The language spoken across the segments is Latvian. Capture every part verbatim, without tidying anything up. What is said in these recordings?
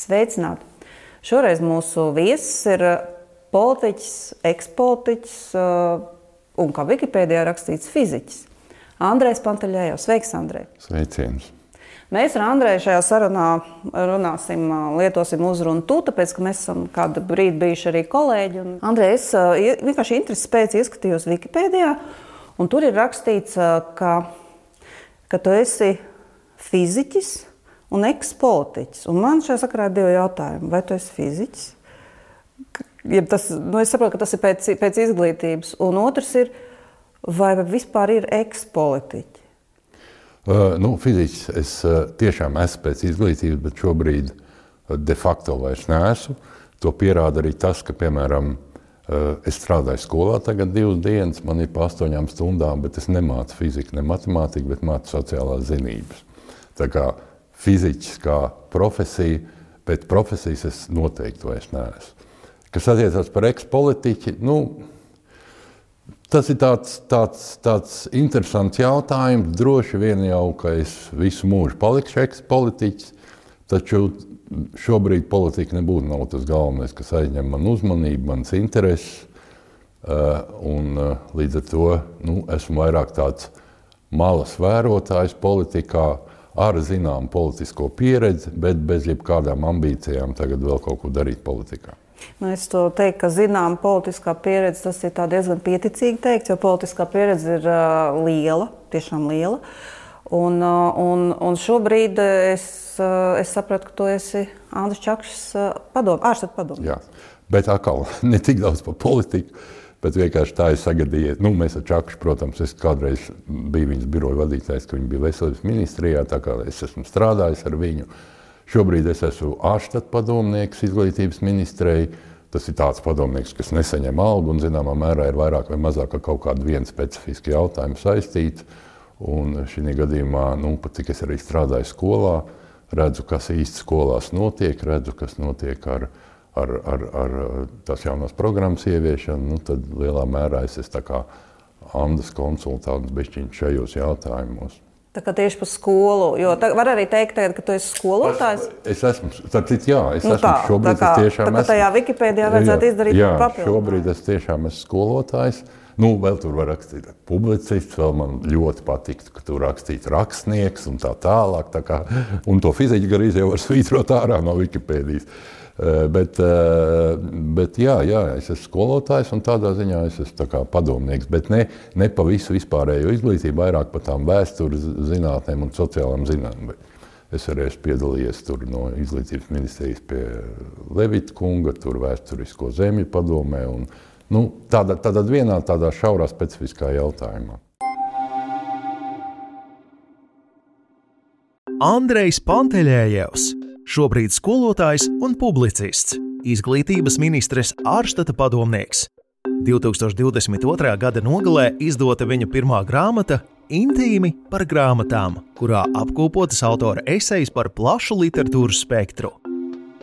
Sveicināti! Šoreiz mūsu viesis ir politiķis, ekspolitiķis un, kā Wikipēdijā rakstīts, fiziķis. Andrejs Panteļējos. Sveiks, Andrej! Sveiciens! Mēs ar Andreju šajā sarunā runāsim, lietosim uzrunu tu, tāpēc, ka mēs esam kādu brīdi bijuši arī kolēģi. Un, Andrej, es vienkārši interesi pēc ieskatījos Wikipēdijā, un tur ir rakstīts, ka, ka tu esi fiziķis un ekspolitiķis. Un man šajā sakarā ir divi jautājumi. Vai tu esi fiziķis? Ja tas, nu es saprotu, ka tas ir pēc, pēc izglītības. Un otrs ir, vai vispār ir ekspolitiķi? Uh, nu, fiziķis es uh, tiešām esmu pēc izglītības, bet šobrīd uh, de facto vairs neesmu. To pierāda arī tas, ka, piemēram, uh, es strādāju skolā tagad divas dienas, man ir pa astoņām stundām, bet es nemācu fiziku, ne matemātiku, bet mācu sociālās zinības. Tā kā fiziķis kā profesija, pēc profesijas es noteikti vairs neesmu. Kas attiecās par ekspolitiķi, nu, tas ir tāds, tāds, tāds interesants jautājums. Droši vien jau, ka es visu mūžu palikšu ekspolitiķis, taču šobrīd politika nebūtu nav tas galvenais, kas aizņem man uzmanību, manas intereses. Un līdz ar to nu, esmu vairāk tāds malas vērotājs politikā, ar zinām politisko pieredzi, bet bez jebkādām ambīcijām tagad vēl kaut ko darīt politikā. Nu, es to teiktu, ka zinām politiskā pieredze, tas ir tā diezgan pieticīgi teikt, jo politiskā pieredze ir uh, liela, tiešām liela. Un, uh, un, un šobrīd es, uh, es sapratu, ka tu esi Andris Čakšs uh, padom, ārstatu padomnieks. Jā, bet atkal ne tik daudz par politiku, bet vienkārši tā ir sagadījies. Nu, mēs ar Čakšu, protams, es kādreiz biju viņas biroja vadītājs, ka viņa bija veselības ministrijā, tā kā es esmu strādājis ar viņu. Šobrīd es esmu ārstatu padomnieks izglītības ministrei. Tas ir tāds padomnieks, kas nesaņem algu un zināmā mērā ir vairāk vai mazāk ar kaut kādu vienu specifisku jautājumu saistīts. Un šī gadījumā, nu, pat cik es arī strādāju skolā, redzu, kas īsti skolās notiek, redzu, kas notiek ar Ar, ar, ar tās jaunās programmas ieviešanu, nu, tad lielā mērā es esmu tā kā Andas konsultants bišķiņš šajos jautājumos. Tā kā tieši par skolu, jo tā, var arī teikt, tagad, ka tu esi skolotājs? Es esmu, starp citu, jā, es nu esmu tā, šobrīd, tā kā, es tiešām tā kā tajā Wikipēdijā vajadzētu jā, izdarīt jā, papildu. Jā, šobrīd es tiešām esmu skolotājs. Nu, vēl tur var rakstīt publicists, vēl man ļoti patiktu, ka tur rakstīt rakstnieks un tā tālāk. Tā kā, un to fiziķu garīzi jau var svītrot ārā no Wikipēdijas. Bet, bet jā, jā, es esmu skolotājs un tādā ziņā es esmu tā kā padomnieks, bet ne, ne pa visu vispārējo izglītību, vairāk pa tām vēstures zinātnēm un sociālām zinātnēm. Es arī esmu piedalījies tur no izglītības ministrijas pie Levita kunga, tur vēsturisko zemju padomē un nu, tādā, tādā vienā tādā šaurā specifiskā jautājumā. Andrejs Panteļējevs. Šobrīd skolotājs un publicists, izglītības ministres ārštata padomnieks. divtūkstoš divdesmit otrā gada nogalē izdota viņa pirmā grāmata Intīmi par grāmatām, kurā apkopotas autora esejas par plašu literatūras spektru.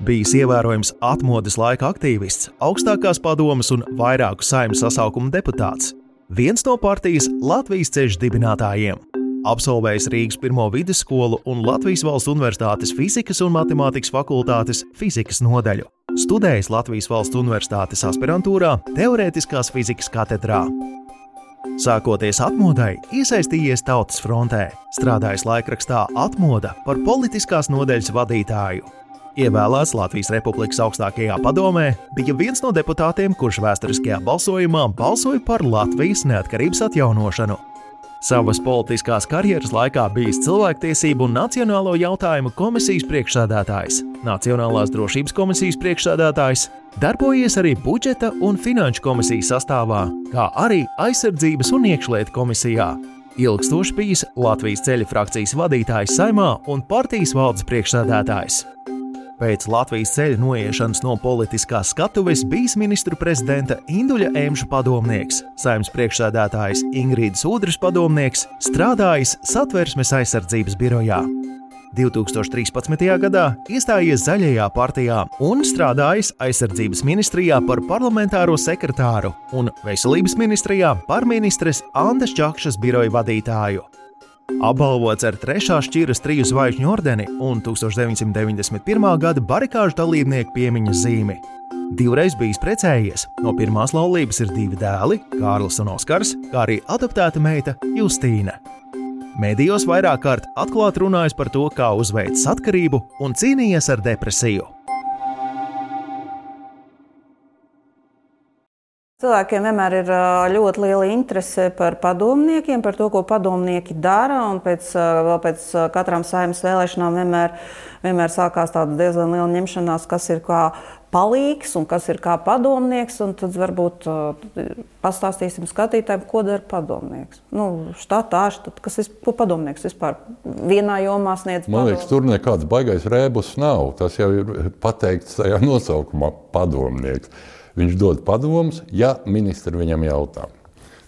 Bijis ievērojams atmodes laika aktīvists, augstākās padomes un vairāku saeimas sasaukumu deputāts. Viens no partijas Latvijas ceļš dibinātājiem. Absolvējis Rīgas pirmo vidusskolu un Latvijas Valsts Universitātes fizikas un matemātikas fakultātes fizikas nodaļu. Studējis Latvijas Valsts Universitātes aspirantūrā teorētiskās fizikas katedrā. Sākoties atmodai, iesaistījies Tautas frontē, strādājis laikrakstā Atmoda par politiskās nodaļas vadītāju. Ievēlēts Latvijas Republikas augstākajā padomē, bija viens no deputātiem, kurš vēsturiskajā balsojumā balsoja par Latvijas neatkarības atjaunošanu. Savas politiskās karjeras laikā bijis cilvēktiesību un nacionālo jautājumu komisijas priekšsēdētājs, Nacionālās drošības komisijas priekšsēdētājs, darbojies arī budžeta un finanšu komisijas sastāvā, kā arī aizsardzības un iekšlietu komisijā. Ilgstoši bijis Latvijas ceļa frakcijas vadītājs Saeimā un partijas valdes priekšsēdētājs. Pēc Latvijas ceļa noiešanas no politiskās skatuves bijis ministru prezidenta Induļa Emša padomnieks, Saeimas priekšsēdētājs Ingrīdas Udras padomnieks, strādājis Satversmes aizsardzības birojā. divtūkstoš trīspadsmitajā gadā iestājies Zaļajā partijā un strādājis aizsardzības ministrijā par parlamentāro sekretāru un veselības ministrijā par ministres Andas Čakšas biroja vadītāju. Apbalvots ar trešā šķiras triju zvaigžņu ordeni un tūkstoš deviņsimt deviņdesmit pirmā gada barikāžu dalībnieku piemiņas zīmi. Divreiz bijis precējies, no pirmās laulības ir divi dēli, Kārlis un Oskars, kā arī adoptēta meita Justīna. Mēdījos vairāk kārt atklāti runājis par to, kā uzveicis atkarību un cīnījies ar depresiju. Cilvēkiem vienmēr ir ļoti liela interese par padomniekiem, par to, ko padomnieki dara, un pēc, vēl pēc katrām saeimas vēlēšanām vienmēr, vienmēr sākās tāda diezgan liela ņemšanās, kas ir kā palīgs un kas ir kā padomnieks, un tad varbūt pastāstīsim skatītājiem, ko dara padomnieks. Nu, štatā, štat, kas ir, ko padomnieks vispār vienā jomā sniedz padomnieks? Man liekas, tur nekāds baigais rēbus nav, tas jau ir pateikts tajā nosaukumā padomnieks. Viņš dod padomus, ja ministri viņam jautā.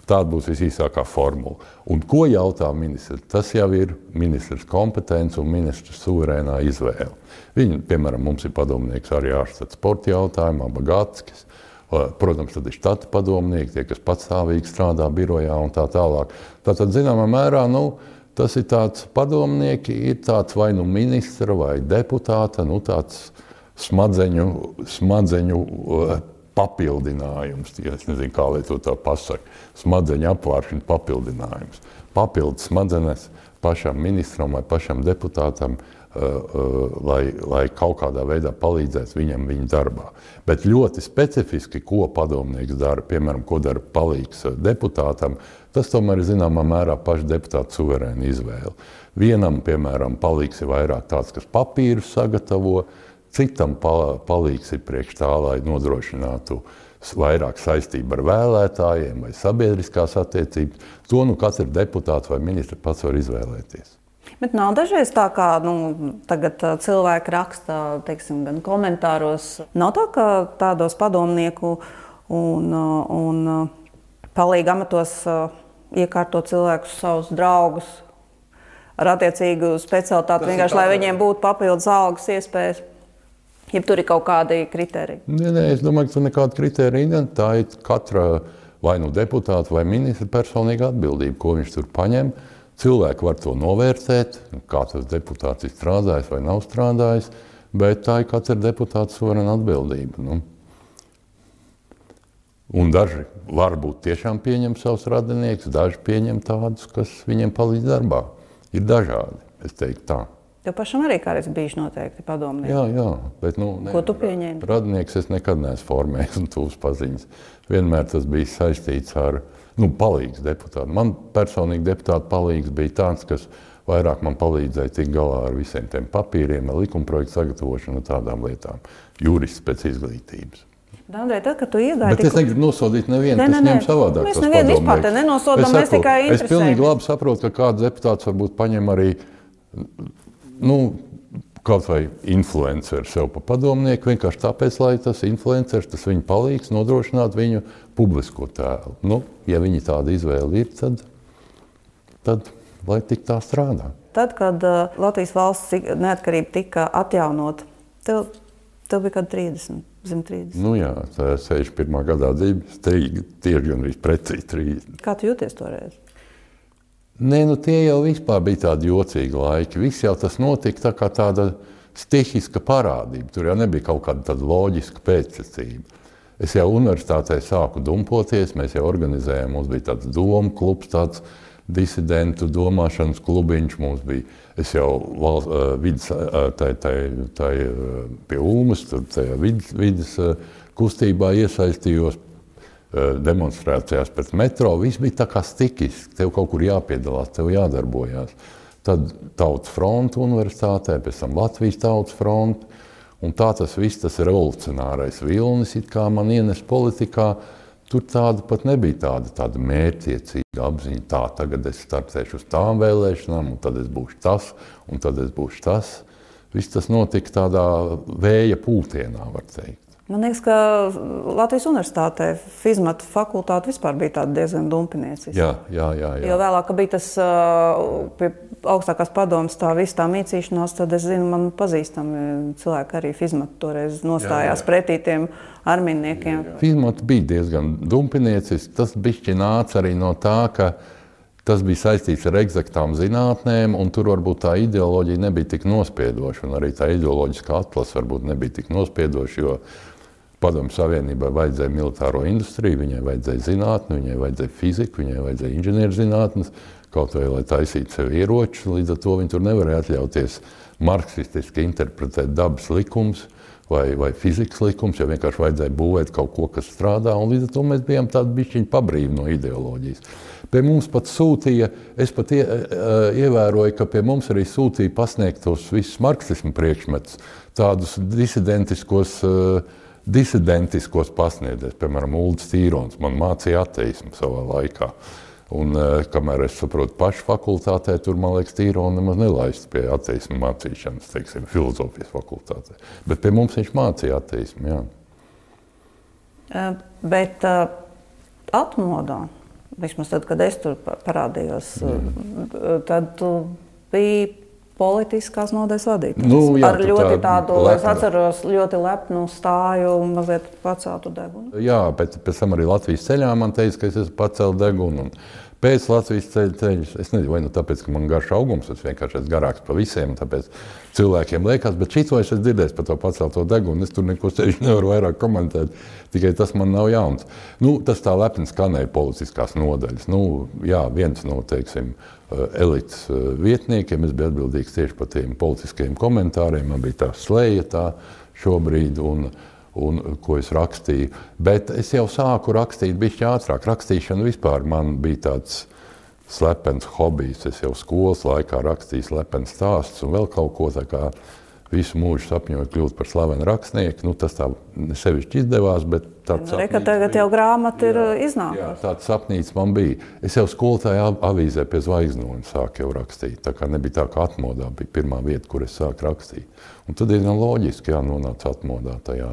Tāda būs visīsākā formula. Un ko jautā ministrs? Tas jau ir ministrs kompetence un ministrs suverēnā izvēle. Viņi, piemēram, mums ir padomnieks arī ārstāt sporta jautājumā, Bagatskis. Protams, tad ir štata padomnieki, tie, kas patstāvīgi strādā birojā un tā tālāk. Tātad, zināmā mērā, nu, tas ir tāds padomnieki, ir tāds vai nu ministra vai deputāta, nu tāds smadzeņu, smadzeņu papildinājums, es nezinu, kā lai to tā pasaka, smadzeņu apvāršana papildinājums. Papildus smadzenes pašam ministram vai pašam deputātam, uh, uh, lai, lai kaut kādā veidā palīdzētu viņam viņa darbā. Bet ļoti specifiski, ko padomnieks dara, piemēram, ko dara palīgs deputātam, tas tomēr ir zināmā mērā paša deputāta suverēna izvēle. Vienam, piemēram, palīgs ir vairāk tāds, kas papīrus sagatavo, citam palīgs ir priekš tā, lai nodrošinātu vairāk saistību ar vēlētājiem vai sabiedriskās attiecības. To nu katrs deputāts vai ministrs pats var izvēlēties. Bet nav dažreiz tā, kā nu, tagad cilvēki raksta, teiksim, gan komentāros. Nav tā, ka tādos padomnieku un, un palīga amatos iekārto cilvēkus, savus draugus ar attiecīgu specialitāti, vienkārši, lai viņiem būtu papildus algas iespējas. Ja tur ir kaut kādi kriteriji? Nē, nē, es domāju, ka tur nekāda kriterija. Tā ir katra vai nu deputāta vai ministra personīga atbildība, ko viņš tur paņem. Cilvēki var to novērtēt, kā tas deputāts ir strādājis vai nav strādājis, bet tā ir katra deputāta suverēna atbildība. Nu. Un daži varbūt tiešām pieņem savus radiniekus, daži pieņem tādus, kas viņiem palīdz darbā. Ir dažādi, es teiktu tā. Tev pašam arī kādreiz bijuši noteikti padomnieki? Jā, jā. Bet, nu, ne, ko tu pieņēmi? Radinieks es nekad neesmu formējis un tūs paziņas. Vienmēr tas bija saistīts ar, nu, palīgs deputātu. Man personīgi deputātu palīgs bija tāds, kas vairāk man palīdzēja tikt galā ar visiem tiem papīriem, ar likumprojektu sagatavošanu un tādām lietām. Jurists pēc izglītības. Andrej, tad, kad tu iegāji... Bet es negribu nosodīt nevienu, kas ņem savādāk tos padomniekus. Mēs nevienu vispār te nenosodām, mēs tikai interesējam. Es pilnīgi labi saprotu, ka kāds deputāts varbūt paņem arī Nu, kaut vai influenceri sev pa padomnieku, vienkārši tāpēc, lai tas influenceris, tas viņu palīgs nodrošināt viņu publisko tēlu. Nu, ja viņi tāda izvēle ir, tad, tad lai tik tā strādā. Tad, kad uh, Latvijas valsts neatkarība tika atjaunot, tev, tev bija kāda trīsdesmit, zem trīsdesmit. Nu jā, tā sešdesmit pirmā gadā dzīves, tieši gan arī precīzi trīsdesmit. Kā tu jūties toreiz? Nē, nu tie jau vispār bija tādi jocīgi laiki. Viss jau tas notika tā kā tāda stihiska parādība. Tur jau nebija kaut kāda tāda loģiska pēcsacība. Es jau universitātē sāku dumpoties, mēs jau organizējām, mums bija tāds domu klubs, tāds disidentu domāšanas klubiņš mums bija. Es jau valsts, uh, vidas, uh, tai, tai, tai, uh, pie Ulmas, tur tajā vidas, vidas uh, kustībā iesaistījos. Demonstrācijās pēc metro, viss bija tā kā stikiski, tev kaut kur jāpiedalās, tev jādarbojās. Tad Tautas fronte universitātē, pēc tam Latvijas Tautas fronte, un tā tas viss, tas revolucionārais vilnis, it kā man ienes politikā, tur tāda pat nebija tāda, tāda mērķiecīga apziņa, tā, tagad es startēšu uz tām vēlēšanām, un tad es būšu tas, un tad es būšu tas. Viss tas notika tādā vēja pūtienā, var teikt. Man liekas, ka Latvijas universitātē fizmatu fakultāte vispār bija tāda diezgan dumpinieciska. Jā, jā, jā, jā. Jo vēlāk, ka bija tas uh, pie augstākās padomas tā viss tā mīcīšanās, tad es zinu, man pazīstami cilvēki arī fizmatu toreiz nostājās jā, jā. pretī tiem armijniekiem. Fizmatu bija diezgan dumpinieciski. Tas bišķi nāca arī no tā, ka Tas bija saistīts ar eksaktām zinātnēm, un tur varbūt tā ideoloģija nebija tik nospiedoša, un arī tā ideoloģiskā atlase varbūt nebija tik nospiedoša, jo Padomju Savienībai vajadzēja militāro industriju, viņai vajadzēja zinātni, viņai vajadzēja fiziku, viņai vajadzēja inženierzinātnes, kaut vai, lai taisītu sev ieročus, līdz ar to viņi tur nevarēja atļauties marksistiski interpretēt dabas likums vai, vai fizikas likums, jo vienkārši vajadzēja būvēt kaut ko, kas strādā, un līdz ar to mēs bijām tādi bišķiņi pabrīvi no ideoloģijas. Pie mums pat sūtīja, es pat ie, ievēroju, ka pie mums arī sūtīja pasniegtos visus marksismu priekšmetus, tādus disidentiskos, disidentiskos pasniedzējus, piemēram, Uldis Tīrons, man mācīja ateismu savā laikā. Un kamēr es saprotu pašu fakultātē, tur, man liekas, Tīronu nemaz nelaistu pie ateismu mācīšanas, teiksim, filozofijas fakultātē. Bet pie mums viņš mācīja ateismu, jā. Bet uh, atmodā, vismaz tad, kad es tur parādījos, mm. tad tu biji politiskās nodaļas vadītājs. Nu, jā, ar ļoti tā tādu, lepna. es atceros, ļoti lepnu stāju un mazliet paceltu degunu. Jā, pēc, pēc tam arī Latvijas ceļā man teica, ka es esmu pacelt degunu. Un pēc Latvijas ceļa ceļus, es nezinu, vai nu tāpēc, ka man garš augums, es vienkārši esmu garāks pa visiem, tāpēc cilvēkiem liekas, bet šito es esmu dzirdējis par to pacelto degunu, es tur neko sevišķi nevaru vairāk komentēt, tikai tas man nav jauns. Nu, tas tā lepni skanēja politiskās nodaļas. Nu, jā, viens no, teiksim, elites vietniekiem, es biju atbildīgs tieši par tiem politiskajiem komentāriem, man bija tā sleja tā šobrīd, un, un ko es rakstīju. Bet es jau sāku rakstīt bišķi ātrāk. Rakstīšana vispār man bija tāds slepens hobijs. Es jau skolas laikā rakstīju slepens stāstus un vēl kaut ko tā kā visu mūžu sapņoju kļūt par slavenu rakstnieku. Nu, tas tā sevišķi izdevās, bet tāds sapnīts bija. Tagad jau grāmata ir iznākusi. Jā, tāds sapnīts man bija. Es jau skolotāja avīzē pie Zvaigznoņa sāku jau rakstīt. Tā kā nebija tā, ka atmodā bija pirmā vieta, kur es sāku rakstīt. Un tad diezgan loģiski jānonāca atmodā tajā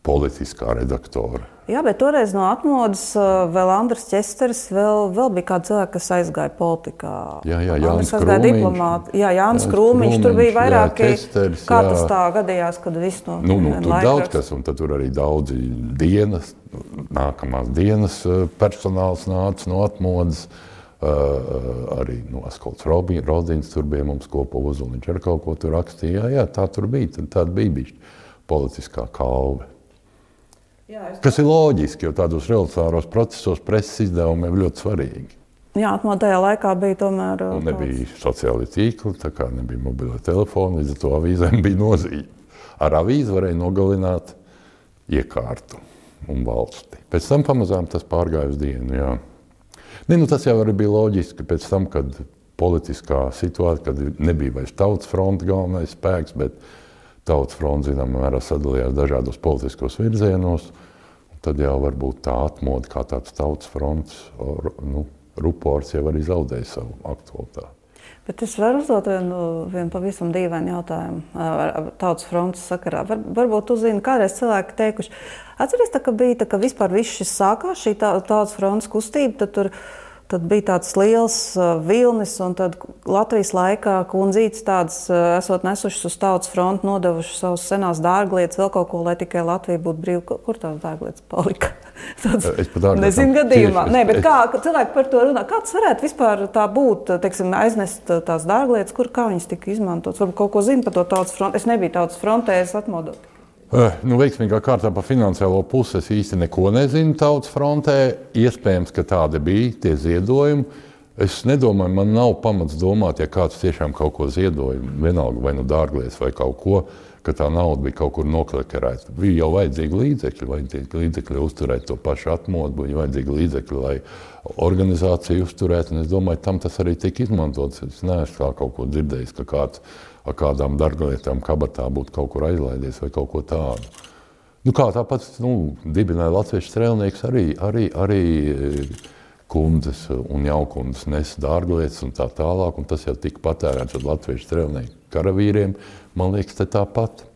politiskā redaktora. Jā, bet toreiz no atmodas vēl Andris Česteris, vēl, vēl bija kādi cilvēki, kas aizgāja politikā. Jā, jā, Jānis Krūmiņš. Jā, Jānis Krūmiņš, tur bija vairāki, jā, Česteris, kā tas tā gadījās, kad viss no nu, nu, tur daudz kas, un tad tur arī daudzi dienas, nākamās dienas personāls nāca no atmodas, uh, arī no Askolds Rodins tur bija mums kopā Uzuliņš ar kaut ko tur rakstīja. Jā, jā, tā tur bija, tāda bija bišķi politiskā kalve. Jā, es... Kas ir loģiski, jo tādos revolucionāros procesos preses izdevumi ir ļoti svarīgi. Jā, atmodā tajā laikā bija tomēr... Un nebija sociāli tīkli, tā kā nebija mobilē telefoni, līdz ar to avīzēm bija nozīme. Ar avīzi varēja nogalināt iekārtu un valsti. Pēc tam pamazām tas pārgāja uz dienu, jā. Ne, nu, tas jau arī bija loģiski pēc tam, kad politiskā situācija, kad nebija vairs Tautas fronte galvenais spēks, bet Tautas fronte, zinām, mērā sadalījās dažādos politiskos virzienos, un tad jau varbūt tā atmoda kā tāds Tautas frontes, nu, rupors jau arī zaudēja savu aktualitāti. Bet es varu uzdot vienu, vienu pavisam dīvainu jautājumu ar Tautas frontes sakarā. Var, varbūt tu zini, kādreiz cilvēki teikuši, atceries, tā, ka bija, tā, ka vispār viss šis sākās, šī Tautas frontes kustība, tad tur Tad bija tāds liels uh, vilnis, un tad Latvijas laikā kundzītes tādas uh, esot nesušas uz Tautas fronti, nodevušas savus senās dārglietas, vēl kaut ko, lai tikai Latvija būtu brīva. Kur tās dārglietas palika? Tāds, nezinu gadījumā. Nē, bet kā cilvēki par to runā? Kā tas varētu vispār tā būt, teiksim, aiznest tās dārglietas, kur kā viņas tika izmantotas? Varbūt kaut ko zina par to Tautas fronti. Es nebiju Tautas frontē, es atmodot. Nu, veiksmīgā kārtā par finansiālo pusi es īsti neko nezinu Tautas frontē. Iespējams, ka tāda bija, tie ziedojumi. Es nedomāju, man nav pamats domāt, ja kāds tiešām kaut ko ziedoja, vienalga vai nu dārglietas vai kaut ko, ka tā nauda bija kaut kur noklekerēta. Bija jau vajadzīgi līdzekļi, vajadzīgi līdzekļi uzturēt to pašu atmodu, bija vajadzīgi līdzekļi, lai organizāciju uzturētu, un es domāju, tam tas arī tika izmantots. Es neesmu kā kaut ko dzirdējis, ka kāds ar kādām dārglietām kabatā būtu kaut kur aizlaidies vai kaut ko tādu. Nu kā tāpat, nu, dibināja latviešu strēlnieks arī, arī, arī kundzes un jaukundzes nes dārglietas un tā tālāk, un tas jau tika patērēts ar latviešu strēlnieku karavīriem, man liekas, te tāpat.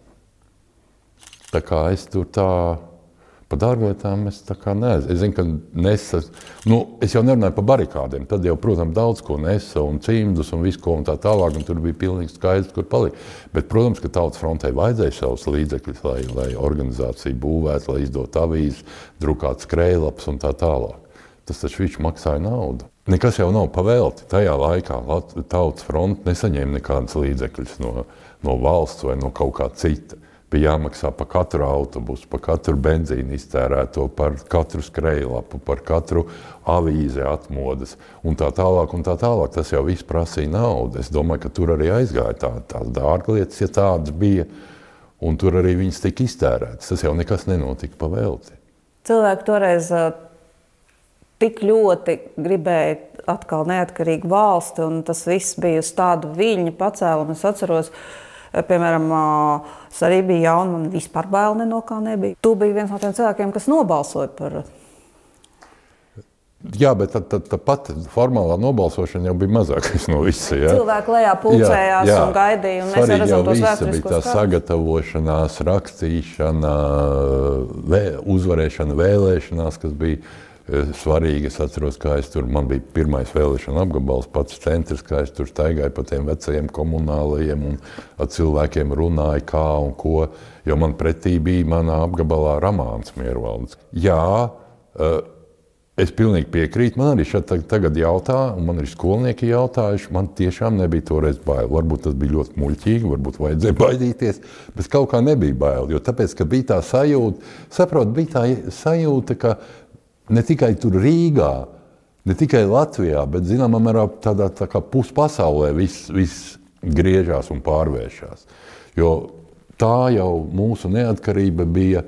Tā kā es tur tā, par dārglietām es tā kā nezinu. Es zinu, ka nesa, nu, es jau nerunāju par barikādiem, tad jau, protams, daudz ko nesa un cimdus un visu ko un tā tālāk, un tur bija pilnīgi skaidrs, kur palika. Bet, protams, ka Tautas frontē vajadzēja savus līdzekļus, lai, lai organizācija būvētu, lai izdot avīzes, drukāt skrējlaps un tā tālāk. Tas taču viņš maksāja naudu. nekas jau nav pavēlti. Tajā laikā Tautas fronte nesaņēma nekādas līdzekļus no, no valsts vai no kaut kā cita. Bija jāmaksā par katru autobusu, par katru benzīnu iztērēto, par katru skrejlapu, par katru avīzi atmodas un tā tālāk un tā tālāk. Tas jau viss prasīja naudu. Es domāju, ka tur arī aizgāja tā, tās dārglietas, ja tādas bija, un tur arī viņas tika iztērētas. Tas jau nekas nenotika pavēlti. Cilvēki toreiz uh, tik ļoti gribēja atkal neatkarīgu valsti, un tas viss bija uz tādu viļņu pacēlumu. Es atceros, piemēram, es arī biju jauna, man vispār bail ne no kā nebija. Tu biji viens no tiem cilvēkiem, kas nobalsoja par... Jā, bet tad, tad, tad pat formālā nobalsošana jau bija mazākais no visa. Ja? Cilvēki lejā pulcējās jā, jā. un gaidīja, un mēs redzam tos vēsturiskos bija tā kādus. Sagatavošanās, rakstīšana, vē, uzvarēšana vēlēšanās, kas bija svarīgi. Es atceros, kā es tur, man bija pirmais vēlēšana apgabals, pats centrs, kā es tur staigāju pa tiem vecajiem komunālajiem un ar cilvēkiem runāju kā un ko, jo man pretī bija manā apgabalā Ramāns Miervalds. Jā, es pilnīgi piekrītu, man arī šeit tagad jautā, un man arī skolnieki jautājuši, man tiešām nebija toreiz bail. Varbūt tas bija ļoti muļķīgi, varbūt vajadzēja baidīties, bet kaut kā nebija bail, jo tāpēc, ka bija tā sajūta, saprot, bija tā sajūta, ka ne tikai tur Rīgā, ne tikai Latvijā, bet zināmā mērā tādā tā kā puspasaulē viss, viss griežās un pārvēršās. Jo tā jau mūsu neatkarība bija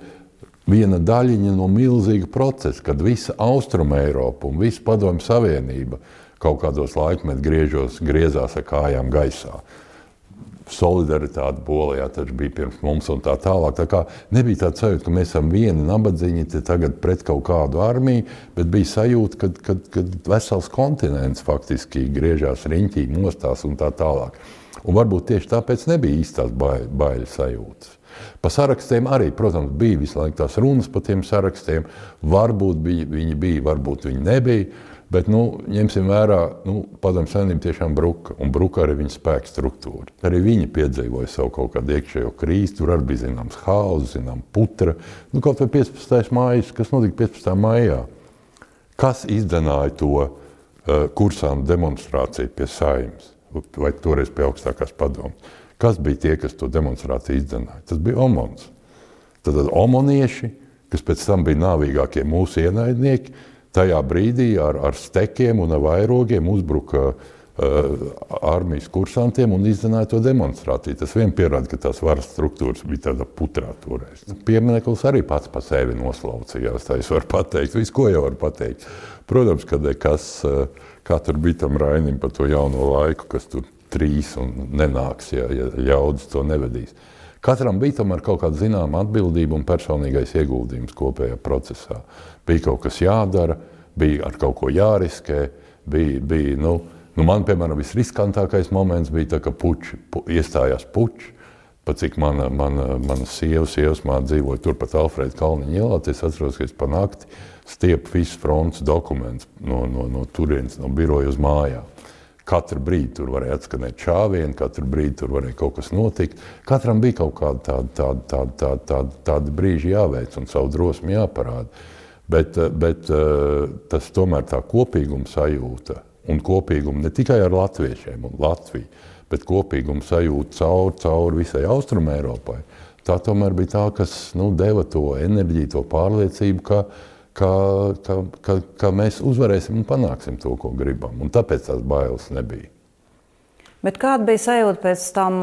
viena daļiņa no milzīga procesa, kad visa Austruma Eiropa un visa Padomju Savienība kaut kādos laikmet griežos, griezās ar kājām gaisā. Solidaritāte Polijā taču bija pirms mums un tā tālāk. Tā kā nebija tāds sajūta, ka mēs esam vieni nabadzīņi te tagad pret kaut kādu armiju, bet bija sajūta, kad, kad, kad vesels kontinents faktiski griežās riņķī, mostās un tā tālāk. Un varbūt tieši tāpēc nebija īstās baiļu, baiļu sajūtas. Pa sarakstiem arī, protams, bija visu laiku tās runas pa tiem sarakstiem. Varbūt bija, viņi bija, varbūt viņi nebija. Bet, nu, ņemsim vērā, nu, Padomju Savienība tiešām bruka, un bruka arī viņa spēka struktūra. Arī viņi piedzīvoja savu kaut kādu iekšējo krīzi, tur arī bija zināms haus, zinām putra. Nu, kaut vai piecpadsmitais mājas, kas notika piecpadsmitā maijā? Kas izdenāja to uh, kursānu demonstrāciju pie Saeimas, vai toreiz pie augstākās padomes? Kas bija tie, kas to demonstrāciju izdenāja? Tas bija omons. Tad omonieši, kas pēc tam bija nāvīgākie mūsu ienaidnieki, tajā brīdī ar, ar stekiem un ar vairogiem uzbruka uh, armijas kursantiem un izdenāja to demonstrāciju. Tas vien pierāda, ka tās varas struktūras bija tāda putrā toreiz. Piemineklis arī pats pa sevi noslaucījās, tā es varu pateikt, visu ko jau varu pateikt. Protams, kad kas, kā tur bija tam Rainim par to jauno laiku, kas tur trīs un nenāks, ja, ja ļaudis to nevedīs. Katram bija tomēr kaut kāda zināma atbildība un personīgais ieguldījums kopējā procesā. Bija kaut kas jādara, bija ar kaut ko jāriskē, bija, bija nu, nu man, piemēram, visriskantākais moments bija tā, ka puči, pu, iestājās puči, pat cik mana, mana, mana sieva, sievas māte dzīvoja turpat Alfrēda Kalniņa ielā, es atceros, ka es pa nakti stiepu visu frontes dokumentus no, no, no turienes, no biroja uz mājām. Katru brīdi tur varēja atskanēt čāvieni, katru brīdi tur varēja kaut kas notikt. Katram bija kaut kāda tāda, tāda, tāda, tāda, tāda, tāda brīži jāveic un savu drosmi jāparāda. Bet, bet tas tomēr tā kopīguma sajūta un kopīguma ne tikai ar latviešiem un Latviju, bet kopīguma sajūta caur, caur visai Austruma Eiropai. Tā tomēr bija tā, kas nu, deva to enerģiju, to pārliecību, ka Ka, ka, ka, ka mēs uzvarēsim un panāksim to, ko gribam. Un tāpēc tās bailes nebija. Bet kāda bija sajūta pēc tam